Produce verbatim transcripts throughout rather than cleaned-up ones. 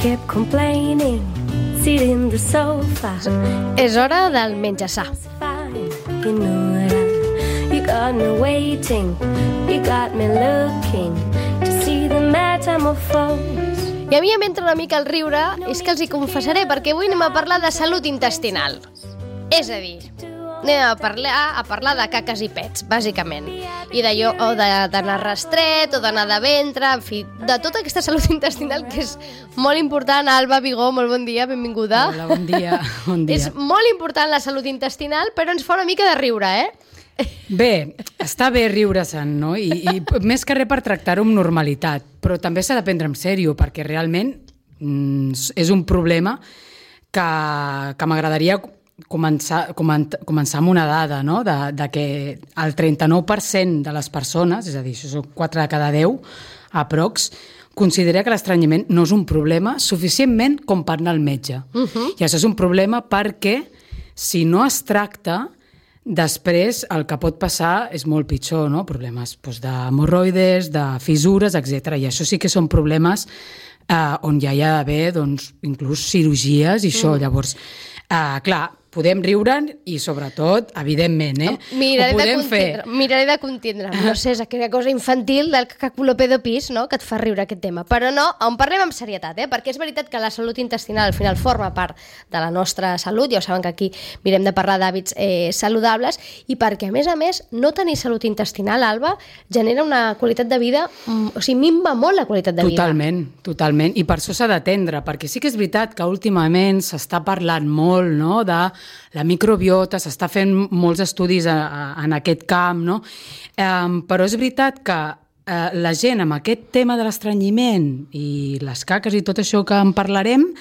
kept complaining, sitting in the sofa. És hora del menjar sa. You know that I, you got me waiting, you got me looking to see the metamorphose. I a mi em entra una mica el riure, és que els hi confessaré, perquè avui anem a parlar de salut intestinal. És a dir, anem a parlar, a parlar de caques i pets, bàsicament. I d'allò, o d'anar rastret, o d'anar de ventre, en fi, de tota aquesta salut intestinal que és molt important. Alba Vigó, molt bon dia, benvinguda. Hola, bon dia. Bon dia. És molt important la salut intestinal, però ens fa una mica de riure, eh? Bé, està bé riure-se'n, no? I, i més que res per tractar-ho amb normalitat, però també s'ha de prendre en sèrio, perquè realment mm, és un problema que, que m'agradaria començar, començar amb una dada, no? De, de que el trenta-nou per cent de les persones, és a dir, això són quatre de cada deu, aprox, considera que l'estranyiment no és un problema suficientment com per anar al metge. Uh-huh. I això és un problema perquè si no es tracta, després el que pot passar és molt pitjor, no? Problemes doncs, d'hemorroides, de fissures, etcètera. I això sí que són problemes eh, on ja hi ha d'haver doncs, inclús cirurgies i això. Mm. Llavors, eh, clar, podem riure'n i, sobretot, evidentment, eh? Miraré ho podem de fer. Miraré de contindre. No sé, és aquella cosa infantil del caculopedopis, no?, que et fa riure aquest tema. Però no, on parlem amb serietat, eh? Perquè és veritat que la salut intestinal al final forma part de la nostra salut, ja ho saben que aquí mirem de parlar d'hàbits eh, saludables, i perquè, a més a més, no tenir salut intestinal, Alba, genera una qualitat de vida, o sigui, minva molt la qualitat de vida. Totalment, totalment. I per això s'ha d'atendre, perquè sí que és veritat que últimament s'està parlant molt, no?, de la microbiota, s'està fent molts estudis a, a, en aquest camp, no? Um, però és veritat que uh, la gent amb aquest tema de l'estranyiment i les caques i tot això que en parlarem,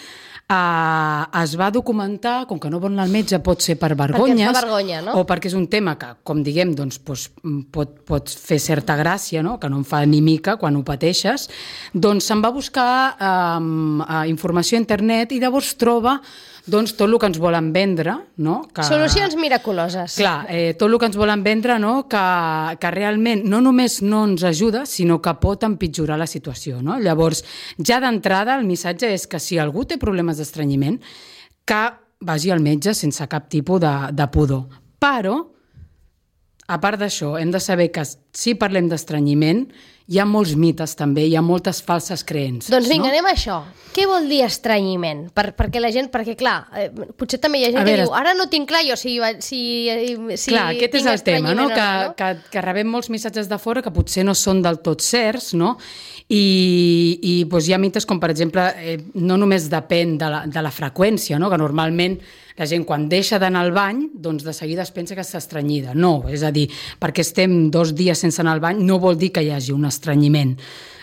Uh, es va documentar, com que no vol anar al metge, pot ser per vergonyes, perquè fa vergonya, no? O perquè és un tema que, com diguem, doncs, doncs, pot, pot fer certa gràcia, no? Que no em fa ni mica quan ho pateixes, doncs se'n va buscar um, uh, informació a internet i llavors troba doncs, tot el que ens volen vendre, no? Que, solucions miraculoses. Clar, eh, tot el que ens volen vendre, no? Que, que realment no només no ens ajuda, sinó que pot empitjorar la situació, no? Llavors, ja d'entrada, el missatge és que si algú té problemes d'estrenyiment, que vagi al metge sense cap tipus de, de pudor. Però, a part d'això, hem de saber que si parlem d'estrenyiment, hi ha molts mites també, hi ha moltes falses creences. Doncs vinga, no? anem a això. Què vol dir estrenyiment? Per, perquè la gent, perquè clar, eh, potser també hi ha gent a que veure, diu, ara no tinc clar jo si, si, si clar, aquest és el tema, no? Que, no? Que, que rebem molts missatges de fora que potser no són del tot certs, no? I, i doncs hi ha mites com, per exemple, eh, no només depèn de la, de la freqüència, no? Que normalment la gent quan deixa d'anar al bany, doncs de seguida es pensa que està estrenyida. No, és a dir, perquè estem dos dies sense anar al bany no vol dir que hi hagi un estrenyiment.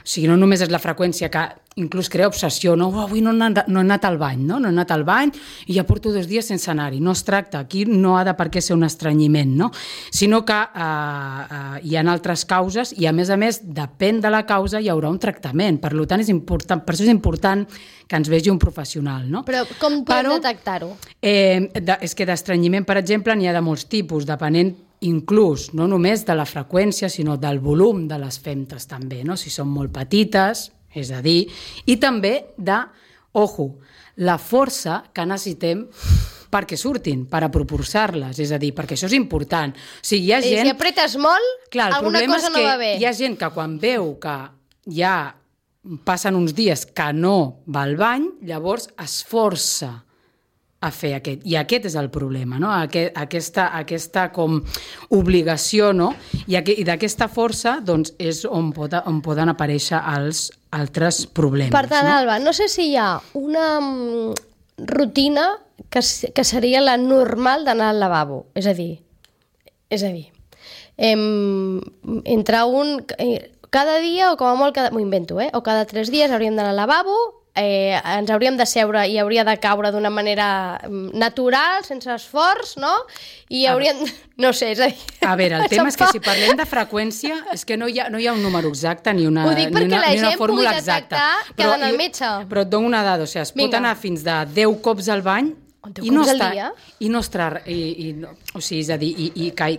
O sigui, no només és la freqüència que inclús crea obsessió, no, oh, avui no he, anat, no he anat al bany, no? no he anat al bany i ja porto dos dies sense anar-hi. No es tracta, aquí no ha de per què ser un estrenyiment, no? Sinó que eh, eh, hi ha altres causes i, a més a més, depèn de la causa, hi haurà un tractament. Per tant, és important, per això és important que ens vegi un professional, no? Però com podem Però, detectar-ho? Eh, de, és que d'estrenyiment, per exemple, n'hi ha de molts tipus, depenent inclús no només de la freqüència, sinó del volum de les femtes també, no? Si són molt petites, és a dir, i també de, ojo, la força que necessitem perquè surtin, per apropulsar-les, és a dir, perquè això és important. O sigui, hi ha gent... I si apretes molt, clar, alguna cosa no va bé. Hi ha gent que quan veu que ja passen uns dies que no va al bany, llavors es força a fer aquest. I aquest és el problema, no? Aquest, aquesta, aquesta com obligació, no? I, aqu i d'aquesta força doncs, és on, pot, on poden aparèixer els altres problemes. Per tant, no? Alba, no sé si hi ha una rutina que, que seria la normal d'anar al lavabo. És a dir, és a dir, em, entre un... Eh, cada dia, o com a molt, cada, m'ho invento, eh? O cada tres dies hauríem d'anar al lavabo, eh, ens hauríem de seure i hauria de caure d'una manera natural, sense esforç, no? I hauríem... No sé, és a dir... A veure, el tema és que si parlem de freqüència, és que no hi ha, no hi ha un número exacte ni una, Ho dic ni una, la ni una gent fórmula pugui exacta. Que ha d'anar al metge. Però et dono una dada, o sigui, es pot Vinga. anar fins de deu cops al bany deu i no cops al està, dia? I no estar... I, i, o sigui, és a dir, i, i, que,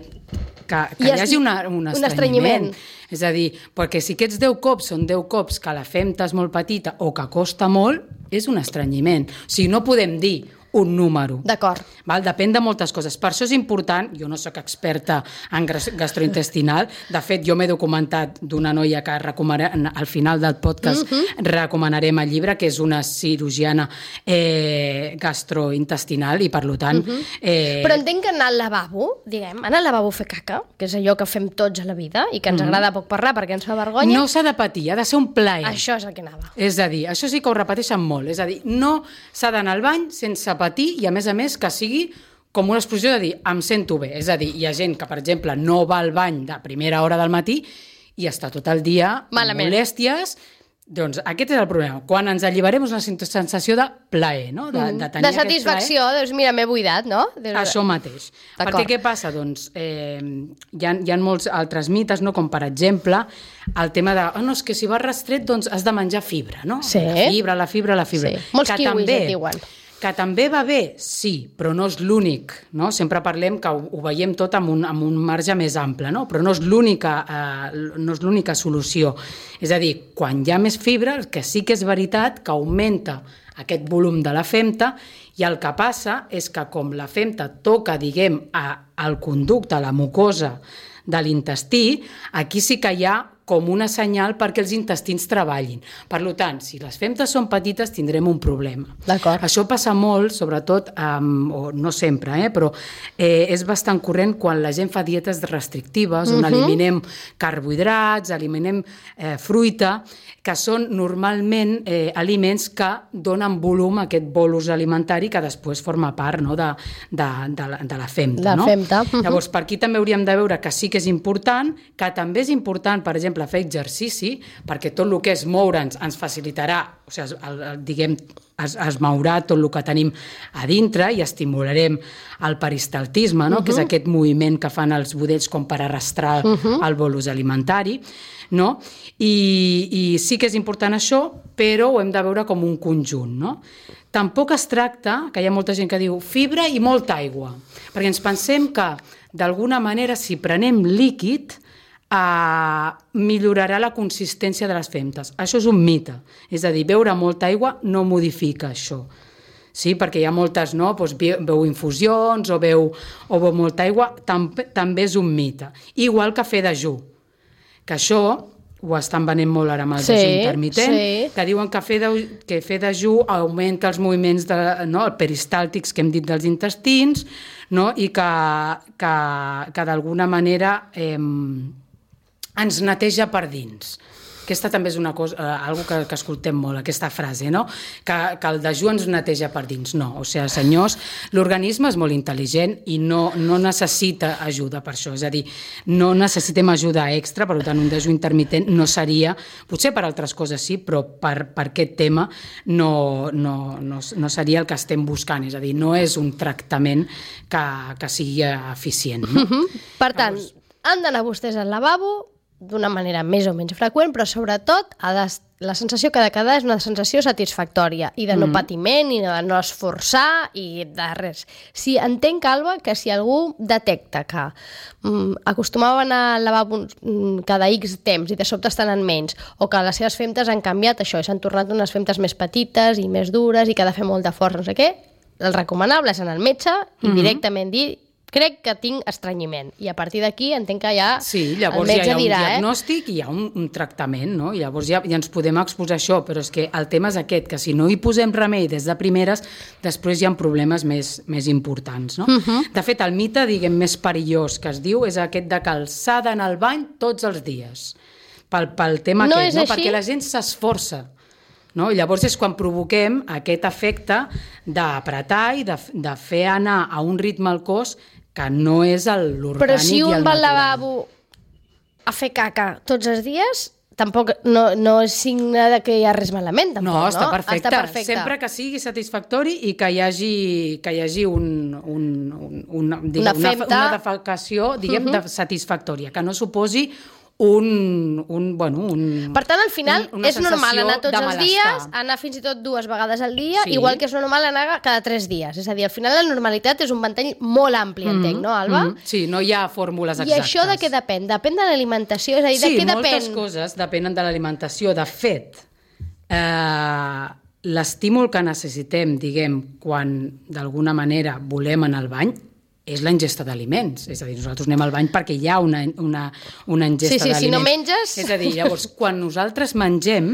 que, que hi hagi una, un, un estrenyiment. estrenyiment. És a dir, perquè si aquests deu cops són deu cops que la femta és molt petita o que costa molt, és un estrenyiment. O sigui, no podem dir un número. D'acord. Val? Depèn de moltes coses. Per això és important, jo no sóc experta en gastrointestinal, de fet jo m'he documentat d'una noia que recomanaré, al final del podcast uh-huh. recomanarem el llibre, que és una cirurgiana eh, gastrointestinal i per tant... Uh-huh. eh... Però entenc que anar al lavabo, diguem, anar al lavabo a fer caca, que és allò que fem tots a la vida i que ens uh-huh. agrada poc parlar perquè ens fa vergonya... No s'ha de patir, ha de ser un plaer. Això és el que anava. És a dir, això sí que ho repeteixen molt, és a dir, no s'ha d'anar al bany sense patir i a més a més que sigui com una exposició de dir, em sento bé. És a dir, hi ha gent que, per exemple, no va al bany de primera hora del matí i està tot el dia malament. Amb molèsties. Doncs aquest és el problema. Quan ens alliberem és una sensació de plaer, no? De, de tenir de satisfacció, doncs mira, m'he buidat, no? Deus... Això mateix. Perquè què passa? Doncs eh, hi, ha, hi ha molts altres mites, no? Com per exemple, el tema de, oh, no, és que si vas restret, doncs has de menjar fibra, no? Sí. La fibra, la fibra, la fibra. Sí. Molts que kiwis també, et diuen. Que també va bé, sí, però no és l'únic, no? Sempre parlem que ho, ho veiem tot amb un, amb un marge més ample, no? Però no és l'única eh, no és l'única solució. És a dir, quan hi ha més fibra, que sí que és veritat que augmenta aquest volum de la femta i el que passa és que com la femta toca, diguem, a, al conducte, a la mucosa de l'intestí, aquí sí que hi ha com una senyal perquè els intestins treballin. Per tant, si les femtes són petites, tindrem un problema. D'acord. Això passa molt, sobretot, um, o no sempre, eh, però eh, és bastant corrent quan la gent fa dietes restrictives, on uh-huh. eliminem carbohidrats, eliminem eh, fruita, que són normalment eh, aliments que donen volum a aquest bolus alimentari que després forma part, no, de, de, de, la, de la femta. La no? femta. Uh-huh. Llavors, per aquí també hauríem de veure que sí que és important, que també és important, per exemple, fer exercici, perquè tot el que és moure'ns ens facilitarà, o sigui, el, el, diguem, es, es mourà tot el que tenim a dintre i estimularem el peristaltisme, no? Uh-huh. Que és aquest moviment que fan els budells com per arrastrar uh-huh. el bolus alimentari, no? I, i sí que és important això, però ho hem de veure com un conjunt, no? Tampoc es tracta, que hi ha molta gent que diu fibra i molta aigua, perquè ens pensem que d'alguna manera si prenem líquid eh, millorarà la consistència de les femtes. Això és un mite, és a dir, beure molta aigua no modifica això. Sí, perquè hi ha moltes, no? Doncs beu infusions o beu, o beu molta aigua, tam, també és un mite. Igual que fer dejú, que això ho estan venent molt ara amb el sí, dejú intermitent, sí. que diuen que fer, de, que fer dejú augmenta els moviments de, no, peristàltics que hem dit dels intestins, no? I que, que, que d'alguna manera eh, ens neteja per dins. Aquesta també és una cosa, eh, algo que, que escoltem molt, aquesta frase, no? Que, que el dejú ens neteja per dins. No, o sigui, senyors, l'organisme és molt intel·ligent i no, no necessita ajuda per això. És a dir, no necessitem ajuda extra, per tant, un dejú intermitent no seria, potser per altres coses sí, però per, per aquest tema no, no, no, no seria el que estem buscant. És a dir, no és un tractament que, que sigui eficient. No? Uh-huh. Per tant, Llavors... han d'anar vostès al lavabo d'una manera més o menys freqüent, però sobretot ha de, la sensació que ha de quedar és una sensació satisfactòria i de no mm. patiment i de no esforçar i de res. Si entenc, Alba, que si algú detecta que mm, acostumava a anar al lavabo mm, cada X temps i de sobte estan en menys, o que les seves femtes han canviat això i s'han tornat unes femtes més petites i més dures i que ha de fer molt de força, no sé què, el recomanable és anar al metge i mm-hmm. directament dir crec que tinc estrenyiment. I a partir d'aquí entenc que ja sí, llavors el metge ja hi ha un dirà, diagnòstic i hi ha un, un tractament, no? I llavors ja, ja ens podem exposar això, però és que el tema és aquest, que si no hi posem remei des de primeres, després hi ha problemes més, més importants, no? Uh-huh. De fet, el mite, diguem, més perillós que es diu és aquest de que s'ha d'anar al bany tots els dies. Pel, pel tema no aquest, no? Així? Perquè la gent s'esforça. No? I llavors és quan provoquem aquest efecte d'apretar i de, de fer anar a un ritme al cos que no és l'orgànic i el natural. Però si un va al lavabo a fer caca tots els dies, tampoc no, no és signe de que hi ha res malament. Tampoc, no, està no? perfecte. Està perfecte. Sempre que sigui satisfactori i que hi hagi, que hi hagi un, un, un, una, diguem, una, una, una defecació diguem, uh-huh. de satisfactòria, que no suposi un, un, bueno, un... Per tant, al final, un, és normal anar tots els dies, malestar. anar fins i tot dues vegades al dia, Sí. igual que és normal anar cada tres dies. És a dir, al final la normalitat és un ventall molt ampli, Mm-hmm, entenc, no, Alba? mm-hmm. Sí, no hi ha fórmules I exactes. això de què depèn? Depèn de l'alimentació? És a dir, de Sí, què depèn? moltes coses depenen de l'alimentació. De fet, eh, l'estímul que necessitem, diguem, quan d'alguna manera volem anar al bany, és la ingesta d'aliments. És a dir, nosaltres anem al bany perquè hi ha una, una, una ingesta Sí, sí, d'aliments. si no menges... És a dir, llavors, quan nosaltres mengem,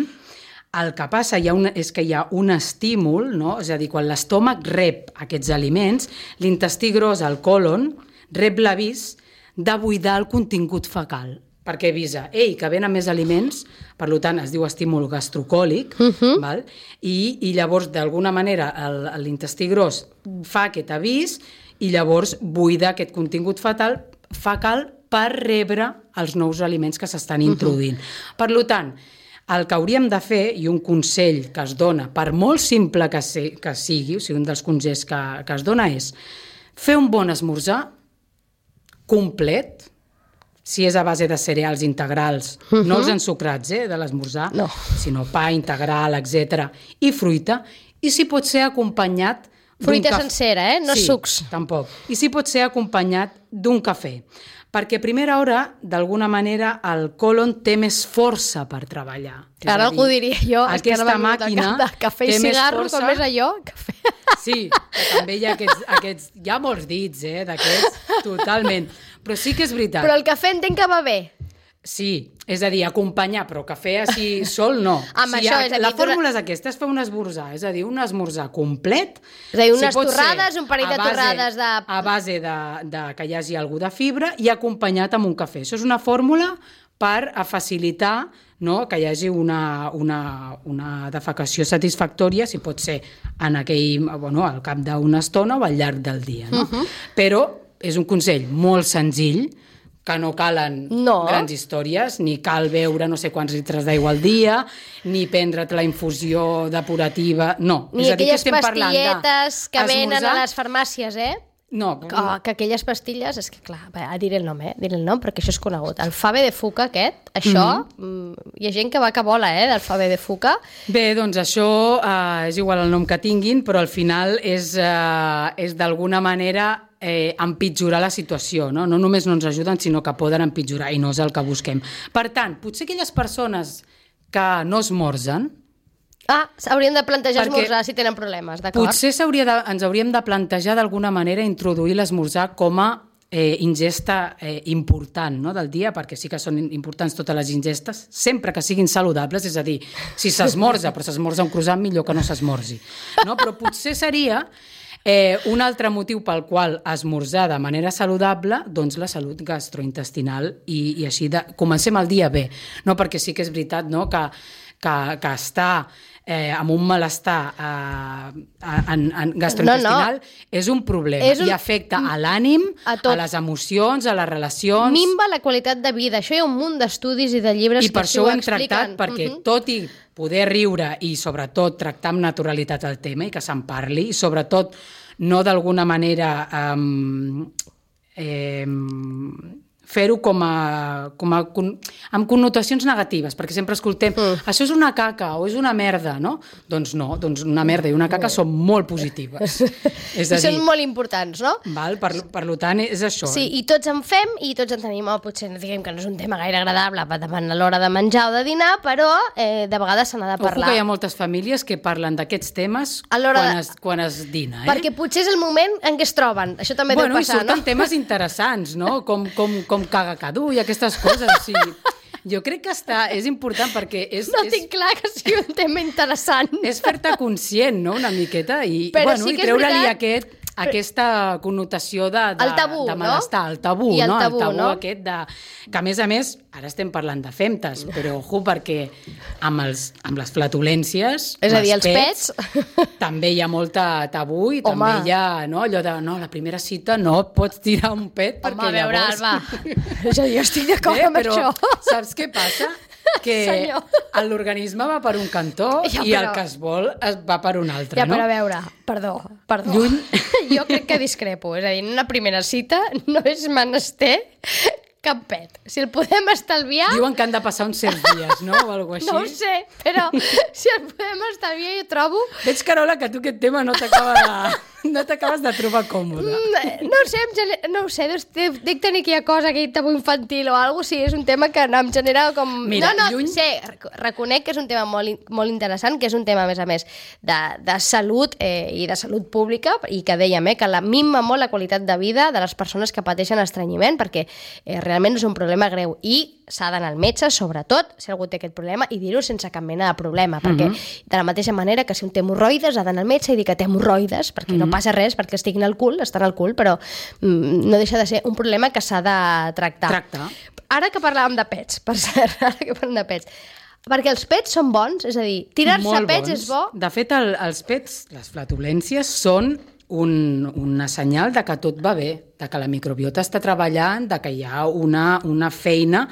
el que passa hi ha una, és que hi ha un estímul, no? És a dir, quan l'estómac rep aquests aliments, l'intestí gros, el còlon, rep l'avís de buidar el contingut fecal, perquè avisa, ei, que venen més aliments, per tant, es diu estímul gastrocòlic, uh-huh. val? I, i llavors, d'alguna manera, el, l'intestí gros fa aquest avís i llavors buida aquest contingut fetal, fecal per rebre els nous aliments que s'estan introduint. Uh-huh. Per tant, el que hauríem de fer, i un consell que es dona, per molt simple que, se, que sigui, o sigui, un dels consells que, que es dona és fer un bon esmorzar complet, si és a base de cereals integrals, uh-huh. no els ensucrats eh, de l'esmorzar, no. sinó pa integral, etcètera, i fruita, i si pot ser acompanyat Fruita caf... sencera, eh? No sí, sucs. Tampoc. I si pot ser acompanyat d'un cafè. Perquè a primera hora, d'alguna manera, el còlon té més força per treballar. Ara algú diria jo, és que aquesta ara màquina de cafè i cigarro, força... com és allò? Cafè. Sí, també hi ha aquests, aquests... Hi ha molts dits, eh, d'aquests, totalment. Però sí que és veritat. Però el cafè entenc que va bé. Sí, és a dir, acompanyar, però cafè així sol no. Amb sí, això, és a dir, la fórmula és aquesta, és fer un esmorzar, és a dir, un esmorzar complet. És a dir, unes si torrades, un parell de base, torrades de... A base de, de que hi hagi algú de fibra i acompanyat amb un cafè. Això és una fórmula per a facilitar, no, que hi hagi una, una, una defecació satisfactòria, si pot ser en aquell, bueno, al cap d'una estona o al llarg del dia. No? Uh-huh. Però és un consell molt senzill, que no calen no. grans històries, ni cal beure no sé quants litres d'aigua al dia, ni prendre't la infusió depurativa, no. Ni és a dir, aquelles pastilletes que venen esmorzar... a les farmàcies, eh? No. Que, que aquelles pastilles, és que clar, diré el nom, eh? Diré el nom perquè això és conegut. El Fave de Fuca aquest, això, mm-hmm. hi ha gent que va que vola, eh, del Fave de Fuca. Bé, doncs això eh, és igual el nom que tinguin, però al final és, eh, és d'alguna manera eh, empitjorar la situació, no? No només no ens ajuden, sinó que poden empitjorar, i no és el que busquem. Per tant, potser aquelles persones que no esmorzen, Ah, haurien de plantejar Perquè esmorzar si tenen problemes, d'acord? Potser de, ens hauríem de plantejar d'alguna manera introduir l'esmorzar com a eh, ingesta eh, important, no, del dia, perquè sí que són importants totes les ingestes, sempre que siguin saludables, és a dir, si s'esmorza, però s'esmorza un croissant, millor que no s'esmorzi. No? Però potser seria eh, un altre motiu pel qual esmorzar de manera saludable, doncs la salut gastrointestinal, i, i així de, comencem el dia bé, no? Perquè sí que és veritat, no?, que, que, que està eh, amb un malestar eh, en, en gastrointestinal no, no. és un problema és un... i afecta a l'ànim, a, a les emocions, a les relacions. Minva la qualitat de vida. Això hi ha un munt d'estudis i de llibres I per que això ho ho hem expliquen. tractat, perquè uh-huh. tot i poder riure i sobretot tractar amb naturalitat el tema i que se'n parli, i sobretot no d'alguna manera eh, eh, fer-ho com a, com a, amb connotacions negatives, perquè sempre escoltem mm. això és una caca o és una merda, no? Doncs no, doncs una merda i una caca són molt positives. És a dir, són molt importants, no? Val? Per, per tant, és això. Sí, i tots en fem i tots en tenim, oh, potser diguem que no és un tema gaire agradable davant a l'hora de menjar o de dinar, però eh, de vegades se n'ha de parlar. Ojo que hi ha moltes famílies que parlen d'aquests temes quan, de... es, quan es dina. Eh? Perquè potser és el moment en què es troben. Això també bueno, deu passar, no? Bueno, i surten temes interessants, no? Com, com, com caga cadú i aquestes coses. Sí. Jo crec que està, és important perquè... És, no és, tinc clar que sigui un tema interessant. És fer-te conscient, no?, una miqueta, i, Però bueno, sí i treure-li veritat... aquest... aquesta connotació de, de, el tabú, de malestar, no? el tabú, I el no? tabú, el tabú no? aquest de... Que a més a més, ara estem parlant de femtes, però ojo, perquè amb, els, amb les flatulències, és a dir, els pets, pets, també hi ha molta tabú i Home. també hi ha, no?, allò de, no, la primera cita no pots tirar un pet perquè Home, a veure, llavors... Alba, és a dir, jo estic d'acord Bé, amb però això. Saps què passa? Que Senyor. l'organisme va per un cantó Ja, i però... el que es vol es va per un altre, Ja, no? però a veure, perdó, perdó. Lluny. Jo crec que discrepo, és a dir, en una primera cita no és menester cap pet. Si el podem estalviar... Diuen que han de passar uns certs dies, no? O alguna cosa així. No ho sé, però si el podem estalviar, jo trobo... Veig, Carola, que tu aquest tema no t'acaba de... no t'acabes de trobar còmode. Mm, no ho sé, em gener... no ho sé, dic tenir aquella cosa, aquell tabú infantil o alguna cosa, sí, és un tema que em genera com... Mira, no, no, lluny... sé, reconec que és un tema molt, molt interessant, que és un tema, a més a més, de, de salut eh, i de salut pública, i que dèiem, eh, que la minva molt la qualitat de vida de les persones que pateixen estrenyiment, perquè eh, realment és un problema greu, i s'ha d'anar al metge, sobretot, si algú té aquest problema, i dir-ho sense cap mena de problema, perquè uh-huh. de la mateixa manera que si un té hemorroides ha d'anar al metge i dir que té hemorroides, perquè uh-huh. no passa res, perquè estiguin al cul, estan al cul, però mm, no deixa de ser un problema que s'ha de tractar. Tractar. Ara que parlàvem de pets, per cert, ara que parlem de pets, perquè els pets són bons, és a dir, tirar-se a pets bons. És bo. De fet, el, els pets, les flatulències, són un, una senyal de que tot va bé, de que la microbiota està treballant, de que hi ha una, una feina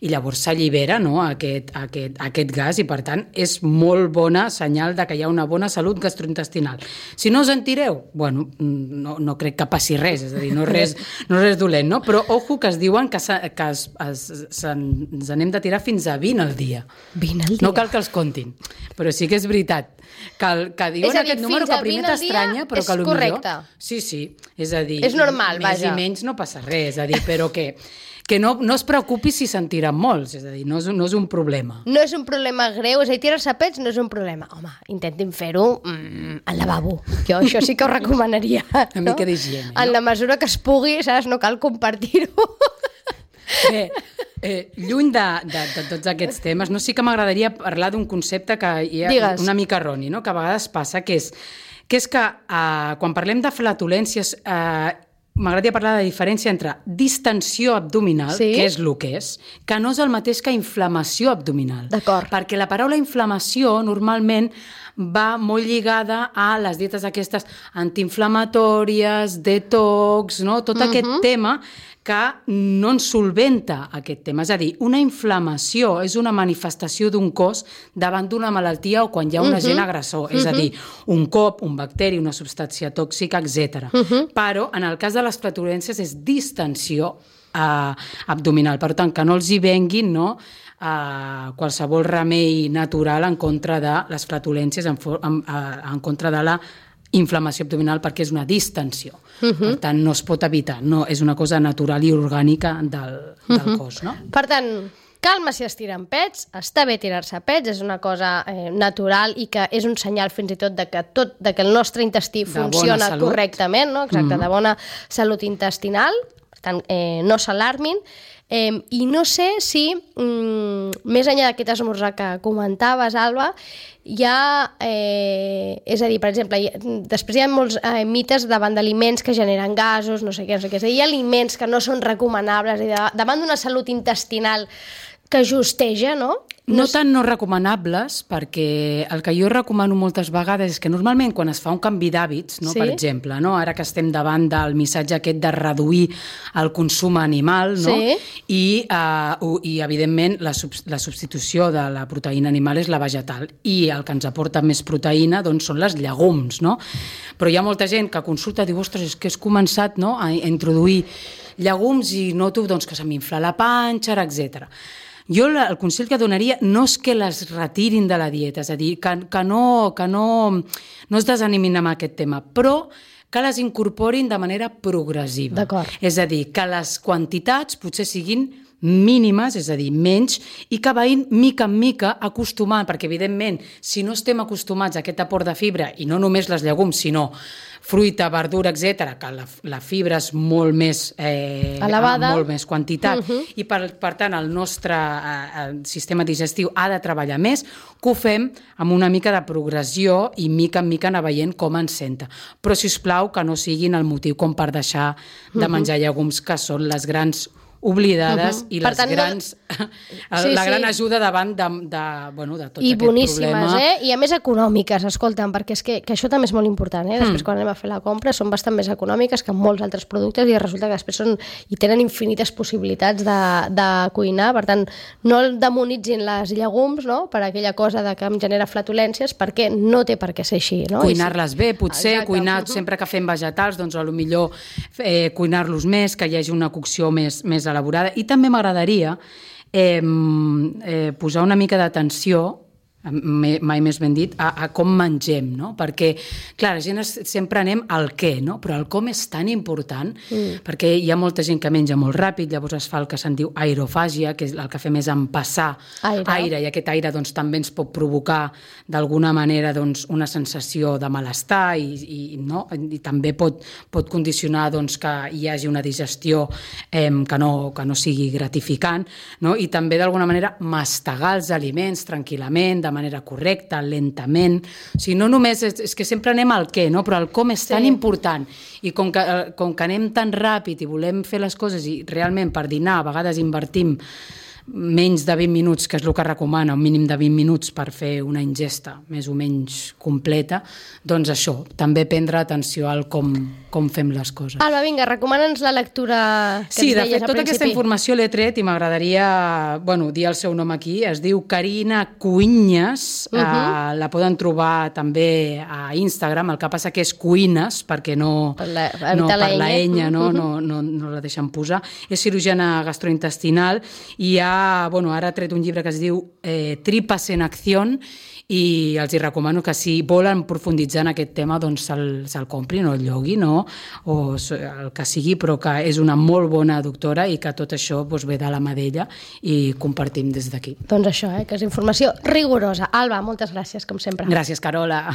i llavors s'allibera, no, aquest, aquest, aquest gas, i per tant és molt bona senyal de que hi ha una bona salut gastrointestinal. Si no us en tireu, bueno, no, no crec que passi res, és a dir, no és res, no és res dolent, no? Però ojo que es diuen que, que es, es, se, ens anem de tirar fins a vint al dia. vint al dia? No cal que els comptin, però sí que és veritat. Que, que diuen és a dir, aquest número que primer t'estranya, però que potser... És correcte. Sí, sí, és a dir... És normal, més vaja. i menys no passa res, és a dir, però que, que no, no es preocupi si se'n tiren molts, és a dir, no és, no és un problema. No és un problema greu, és a dir, tirar-se a pets no és un problema. Home, intentin fer-ho mm, al lavabo. Jo això sí que ho recomanaria. Una no? mica d'higiene. En no? la mesura que es pugui, saps? No cal compartir-ho. Bé, eh, lluny de, de, de tots aquests temes, no sí que m'agradaria parlar d'un concepte que hi ha Digues. una mica erroni, no? Que a vegades passa, que és que, és que eh, quan parlem de flatulències, eh, m'agradaria parlar de la diferència entre distensió abdominal, sí? que és el que és, que no és el mateix que inflamació abdominal. D'acord. Perquè la paraula inflamació normalment va molt lligada a les dietes aquestes antiinflamatòries, detox, no? Tot uh-huh. aquest tema que no ens solventa aquest tema. És a dir, una inflamació és una manifestació d'un cos davant d'una malaltia o quan hi ha un uh-huh. agent agressor. Uh-huh. És a dir, un cop, un bacteri, una substància tòxica, etcètera. Uh-huh. Però, en el cas de les flatulències, és distensió eh, abdominal. Per tant, que no els hi venguin, no?, Uh, qualsevol remei natural en contra de les flatulències, en, en, uh, en contra de la inflamació abdominal, perquè és una distensió. Uh-huh. Per tant, no es pot evitar, no, és una cosa natural i orgànica del, del uh-huh. cos. No? Per tant, calma si es tiren pets, està bé tirar-se pets, és una cosa eh, natural i que és un senyal fins i tot de que, tot, de que el nostre intestí de funciona correctament, no? Exacte, uh-huh. de bona salut intestinal, per tant, eh, no s'alarmin. Eh, I no sé si, mm, més enllà d'aquest esmorzar que comentaves, Alba, hi ha, eh, és a dir, per exemple, hi ha, després hi ha molts eh, mites davant d'aliments que generen gasos, no sé què, no sé què, és a dir, hi ha aliments que no són recomanables, i de, davant d'una salut intestinal que justeja, no? No tan no recomanables, perquè el que jo recomano moltes vegades és que normalment quan es fa un canvi d'hàbits, no, sí? per exemple, no, ara que estem davant del missatge aquest de reduir el consum animal, no? Sí. I, uh, i evidentment la, sub, la substitució de la proteïna animal és la vegetal, i el que ens aporta més proteïna doncs, són les llegums, no? Però hi ha molta gent que consulta i diu, ostres, és que has començat, no, a introduir llegums i noto doncs, que se m'infla la panxa, etcètera. Jo el consell que donaria no és que les retirin de la dieta, és a dir, que, que, no, que no, no es desanimin amb aquest tema, però que les incorporin de manera progressiva. D'acord. És a dir, que les quantitats potser siguin mínimes, és a dir, menys, i que vagin mica en mica acostumant, perquè evidentment, si no estem acostumats a aquest aport de fibra, i no només les llegums, sinó fruita, verdura, etcètera, que la, la fibra és molt més eh, elevada, molt més quantitat, uh-huh. i per, per tant el nostre eh, sistema digestiu ha de treballar més, que ho fem amb una mica de progressió i mica en mica anar veient com ens senta. Però, si us plau, que no siguin el motiu com per deixar de menjar uh-huh. llegums, que són les grans oblidades uh-huh. i les tant, grans, no... sí, la gran sí. ajuda davant de, de, bueno, de tot I aquest boníssimes, problema. Eh? I a més econòmiques, escolta'm, perquè és que, que això també és molt important, eh? Després mm. quan anem a fer la compra són bastant més econòmiques que molts altres productes i resulta que després són, i tenen infinites possibilitats de, de cuinar, per tant, no demonitzin les llegums, no?, per aquella cosa de que em genera flatulències, perquè no té per què ser així, no? Cuinar-les bé, potser, exacte. Cuinar uh-huh. sempre que fem vegetals, doncs a lo millor eh, cuinar-los més, que hi hagi una cocció més, més elevada, elaborada. I també m'agradaria eh, eh, posar una mica d'atenció, mai més ben dit, a, a com mengem, no? Perquè, clar, la gent es, sempre anem al què, no? Però el com és tan important, mm. perquè hi ha molta gent que menja molt ràpid, llavors es fa el que se'n diu aerofàgia, que és el que fem és empassar aire, aire i aquest aire doncs, també ens pot provocar d'alguna manera doncs, una sensació de malestar i, i, no? I també pot, pot condicionar doncs, que hi hagi una digestió eh, que, no, que no sigui gratificant, no? I també d'alguna manera mastegar els aliments tranquil·lament, de manera correcta, lentament. O sigui, no només és, és que sempre anem al què, no? Però el com és tan sí. important. I com que, com que anem tan ràpid i volem fer les coses i realment per dinar a vegades invertim menys de vint minuts, que és el que recomana, un mínim de vint minuts per fer una ingesta més o menys completa, doncs això, també prendre atenció al com, com fem les coses. Alba, vinga, recomana'ns la lectura que sí, ens deies al principi. Sí, de fet, tota aquesta informació l'he tret i m'agradaria, bueno, dir el seu nom aquí. Es diu Carina Cuinyes, uh -huh. eh, la poden trobar també a Instagram, el que passa que és Cuines, perquè no per la, no, per la enya, no, uh -huh. no, no, no la deixen posar. És cirurgiana gastrointestinal i ha Bueno, ara ha tret un llibre que es diu eh, Tripas en acción i els hi recomano que si volen profunditzar en aquest tema doncs se'l, se'l comprin o el lloguin no? O el que sigui, però que és una molt bona doctora i que tot això doncs, ve de la mà d'ella i compartim des d'aquí. Doncs això, eh, que és informació rigorosa. Alba, moltes gràcies, com sempre. Gràcies, Carola.